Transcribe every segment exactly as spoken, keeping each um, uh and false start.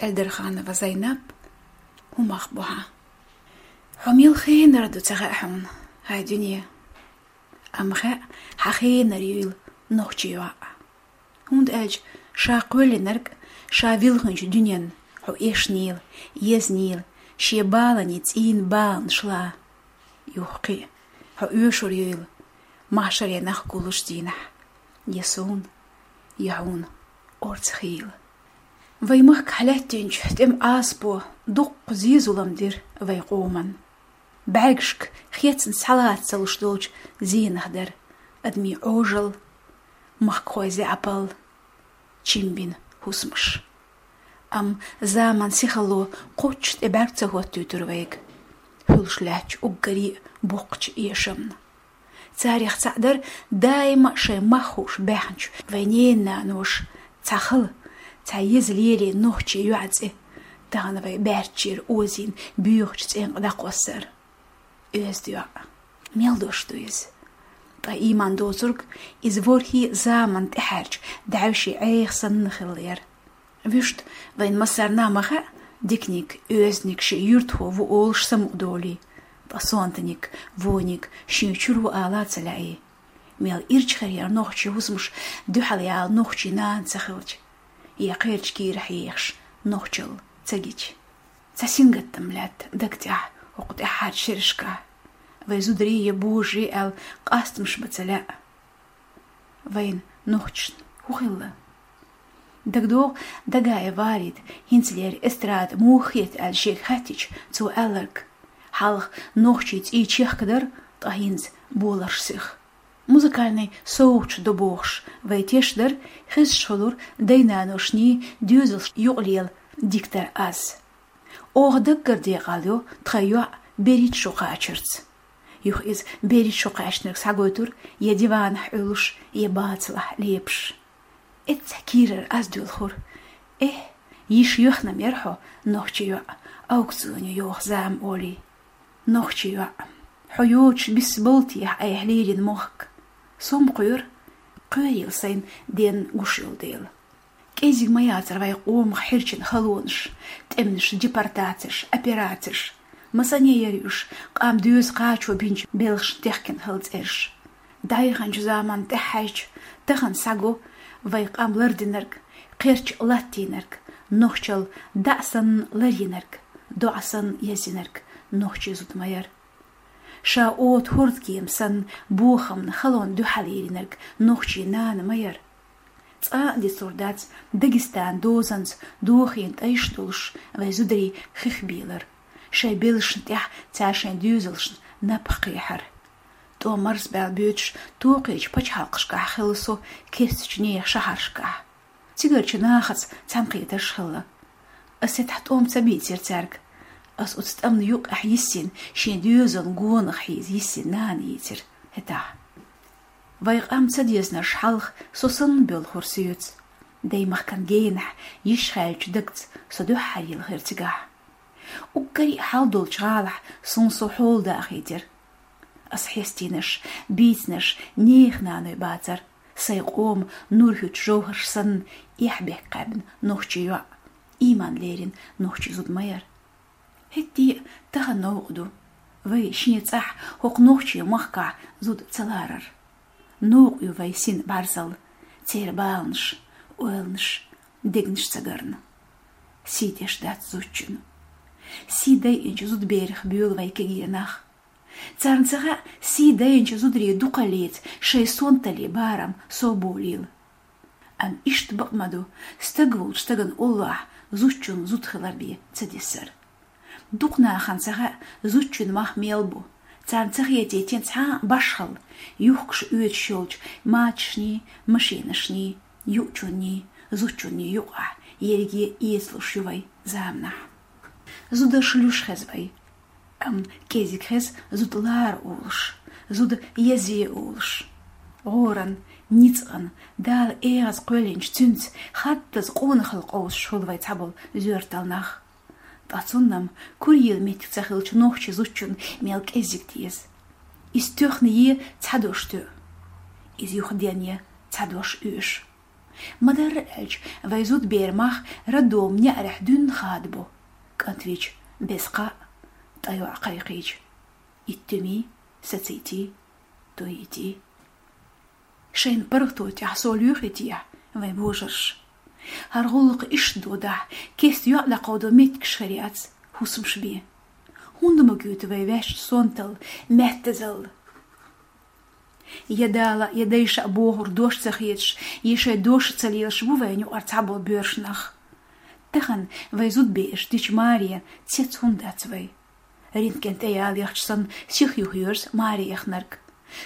Эльдарханова Зайнаб, хӀумах бу хьан. Хьо мел хенара ду ца хаьа хьуна, хьай дуьне. Амма хаьа, хьан хенара юйла нохчий йоӀ. ХӀунда аьлча ша кхоьллинарг, ша вилхинчу дуьнен хьо эшнийла, езнийла, шен баланийн цӀийнан баланаш лан. Юххе, хьо оьшур юйла, махьшаре нах гуллучу дийнахь, я суна, я хьуна орца хийла. Вай махкахь лаьттинчу тӀеман Ӏазапо дуккха зен-зулам дира вай къоман. БӀаьргашка хецна схьалаца ца луш долчу зенах дара адамийн Ӏожалла, махкахойн заьӀапалла, чимбина хӀусамаш. Амма заман сихалло кхоччуш тӀе бӀаьрг ца хӀоттуьйтура вайга, хуьлуш лаьттачу уггаре а боккхачу эшамна. Царех цхьаъ дара даима а шайн мах хууш баьхначу вайн ненан-наноша цхьа хала, цхьа еза лерина нохчийн йоӀан цӀе, тахана вай баьрччера озийна боьхачу цӀенкъа дӀакхоссар. Оьзда йоӀ. Мел дош ду иза? Ткъа ийман доцург иза ворхӀе заманна тӀаьхьарчу даьвшийн Ӏеха санна хилла яра. Вуьшта вайн массарна а ма хаьа, диканиг, оьзданиг шен юьртахо ву олуш самукъадолий, ткъа сонтаниг, вониг шен чуьра ву ала а ца лаьий. Мел ирча хир яра нохчийн хӀусамаш дуьхьал яла нохчийн нана ца хилча, я кхерча кийра хьехаш нохчалла ца гича. Цхьа сингаттам лаьтта даг тӀехь хӀокху тӀаьххьарчу шерашкахь. Вай зударий я божарий аьлла къастамаш бан ца лаьа. Вайна, нохчашна, хӀун хилла? ДагадогӀу, Дагаев Валида хӀинцалера эстрада муха хета аьлла шега хаьттича, цо аьлларг: хьалха нохчийн цӀий чехка дара, ткъа хӀинца боларш сиха. Музыкальный совгӀаташ до бохуш вай тешна дара, хезаш хуьлура дай-наношний, доьзалшний юкъалела диктар аз. Оха даггара декъал йо тхан йоӀ берхӀитта шо кхачарца. Юха иза берхӀитта шо кхаьчнарг схьагойтура я диванахь Ӏуьллуш, я бацалахь лепаш. Эццахь кийрара аз доьлхура: «Эхь, йиш йоьхна-м яра хьо, нохчийн йоӀ, аукционе йоху зама олий. Нохчийн йоӀ, хьо йоцуш биссаболу техьа айхьа лерина мохк? Со-м кхоьру, кхоьрийла сайна денна гуш йолу дела». КӀезиг ма яцара вайн къомах хьирчина халонаш, тӀемнаш, депортацеш, операцеш. Масане яра уьш, къам доьза кхачо бинчу белхашна техкина хала цӀераш. ДӀаяханчу заманна тӀаьхьаьжча, тахана схьаго вайн къам лардинарг, кхерч латтийнарг, нохчалла дӀа санна ларйинарг, доӀа санна язйинарг нохчийн зуда ма яра. Ша ота хӀордкема санна бохамна халонна дуьхьал йиллинарг нохчийн нана ма яра. Цкъа а дицлур дац Дагестанан дозанца дохийна тӀайш долуш вайн зударий хих бийлар, шайн белшна тӀехь цара шайн доьзалшна напха кхехьар. ТӀом марсабаьлла боьдуш токхийчу пачхьалкхашкахь хилла со керстачу нехан шахьаршкахь. Цигарчу нахаца цхьаьнакхетарш хилла. Ас хӀетахь тӀом ца бийцира цаьрга. Ас оцу тӀамна юккъехь йиссина, шен доьзална гонах хьийза йиссина нана йийцира хӀетахь. Вайн къам ца дезанарш хьалха со санна боьлхура соьца. Даймахкан генахь йиш хаьллачу дагца со дуьххьара йилхира цигахь. Уггаре а хьал долчу гӀалахь суна со хьола дахийтира. Ас хьестийнарш, бийцинарш нехан наной бацара, сайн къоман нур хӀуьттучу жовхӀарш санна, эхь-бехк кхаьбна нохчийн йоӀ, ийман лерина нохчийн зуда ма яра. ХӀетте а тахана новкъа ду вай шен цӀахь хӀокху нохчийн махкахь зуда ца ларар. Новкъа ю вай син бӀарзалла, церан баланаш, ойланаш, дегнаш ца гарна. Сий деш дац зудчун. Сий дайинчу зудаберах буьйлу вай кегий нах. Царна ца хаьа, сий дайинчу зударийн дукхаллица шайн сонталлин барам совболийла. Амма иштта бакъ ма ду, стаг волчу стагана уллохь зудчун зуда хилар бен ца дисар. Дукха нахана ца хаьа, зудчун мах мел бу. Царна ца хетийтина цхьа а башхалла, юхкуш оьцуш йолчу мачашний, машинашний, юучунний, зудчунний юкъахь ерриге эцалуш ю вай заманахь. Зударш луьйш хеза вай. Амма кӀезиг хеза зуда лара олуш, зуда язъе олуш. ГӀоран, ницкъан, Дала эгӀаза кхоьллинчу цуьнца хаттаза къонахалла къовсуш хуьлу вай цхьаболу зоьртал нах. Ткъа цунна-м курйийла меттиг ца хилчу нохчийн зудчун мел кӀеззиг деза. Иза тоьхна е цхьа дош тоьу. Иза юха денъян цхьа дош оьшу. Ма-дарра аьлча, вай зудберан мах роддоман неӀарехь дуьйна хадабо, кӀант вича беза кхаъ, ткъа йоӀ кхайкхийча. Иттуьмий, сацийтий, тойтий. Шайн паргӀато тӀехь со лоьхуьйтехь, вайн божарша. ХӀара гӀуллакх иштта додахь, кеста йоӀ дӀакховдо меттигаш хир яц, хӀусамаш бен. ХӀунда ма гойту вай ваьшта сонталла, маьттазалла? Я Дала, я дайша бохург дош ца хеташ, я шайн дош ца лелаш бу вайна юкъара цхьаболу боьрша нах. Тахана вай зудбераш дича маре цец хӀунда дац вай? Рентген тӀе ялийча санна, сиха юхайоьрзу маре яхнарг.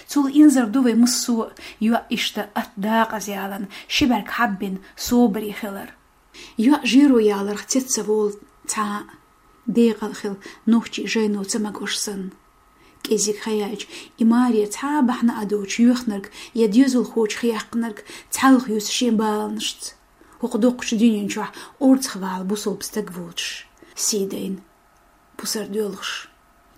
Цул инзар ду вай массо а, йоӀ иштта атта дакъаза ялийна, ши бӀаьрг хьаббина, собаре хилар. ЙоӀ жеро яларх цец ца волу цхьа а, декъала хила нохчийн жайно ца магош санна. КӀезиг хан яьлча, и маре цхьа а бахьана а доцуш йоьхнарг я доьзалхочух яьккхинарг цхьалха юьсу шен баланашца. ХӀокху доккхачу дуьнен чохь орцах вала бусалба стаг воцуш, сий дайна, пусар доьлхуш.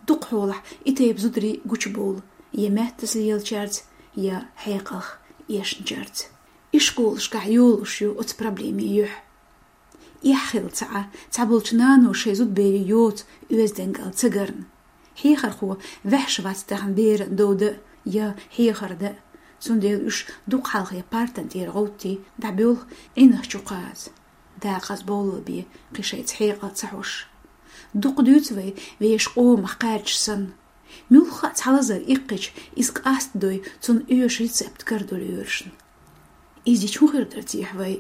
Дукха хьолахь и тайпа зударий гучубовла я маьттаза лелачаьрца, я хьекъалх эшначаьрца. Ишколашкахь йолуш ю оцу проблемийн юьхь. Эхь хилла ца Ӏа, цхьаболчу нано шайн зудберийн йоцу оьздангалла ца гарна. Хьехархо ваьхьаш вац тахана беран дов дан а, я хьехар дан а, цундела уьш дукха хьалхе партан тӀера гӀовттий дӀабоьлху, Ӏинах чу кхаза, дакъаза бовла бен кхин шайца хьекъал ца хьош. Дукха дуьйцу вай вешан къомах кхаьрдаш санна. Муьлхха а цхьа лазар иккхича, иза къастадой, цунна оьшу рецепт карадо лоьрашна. Иза чу хӀун хир дара техьа вай?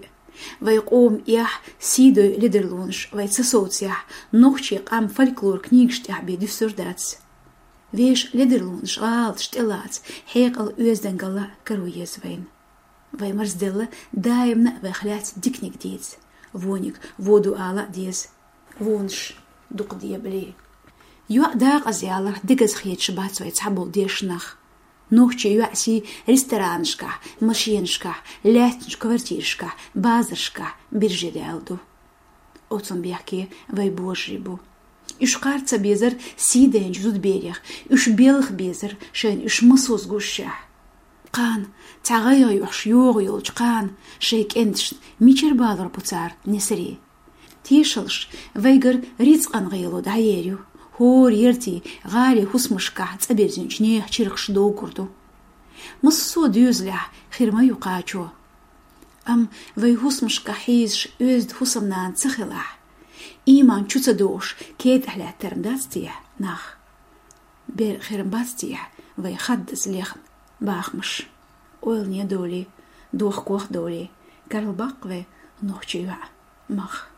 Вай къоман эхь, сий дой ледарлонаш вай ца совцахь, нохчийн къам фольклор книгаш тӀехь бен дуьсур дац. Вешан ледарлонаш, гӀалаташ тӀелаца, хьекъал, оьздангалла каро еза вайна. Вай марзделла даимна а вайх лаьцна диканиг дийца. Вониг вон ду ала а деза. Вонаш дукха дебале. ЙоӀ дакъаза яларх дегаза хеташ бац вай цхьаболу дешнах. Нохчийн йоьӀан сий ресторанашкахь, машенашкахь, лаьттинчу квартирашкахь, базаршкахь бирже даьлла ду. Оцунна бехке вай божарий бу. Уьш кхарна ца безара сий дайначу зудберех, уьш белха безара шайна уьш массо а гушшехь. Кхана, цхьа гӀайгӀа йохуш йогӀу йолчу кхана, шайн кӀенташна мичара балор бу цара несарий? Тешалаш, вайгара рицкъан гӀело дӀаер ю, хӀора яртий, гӀалин хӀусамашкахь цӀа бирзинчу нехан чиркхаш доггур ду. Массо а доьзалехь хир ма ю кхачо. Амма вай хӀусамашкахь хьийзаш оьзда хӀусамнана ца хилахь, ийман чу ца дохуш, кетӀахь лаьттар ма дац техьа нах? Бер хир ма бац техьа вай хаддаза лехна бахамаш? Ойлане долий, дохкох долий, карла баккха вай нохчийн йоӀ мах.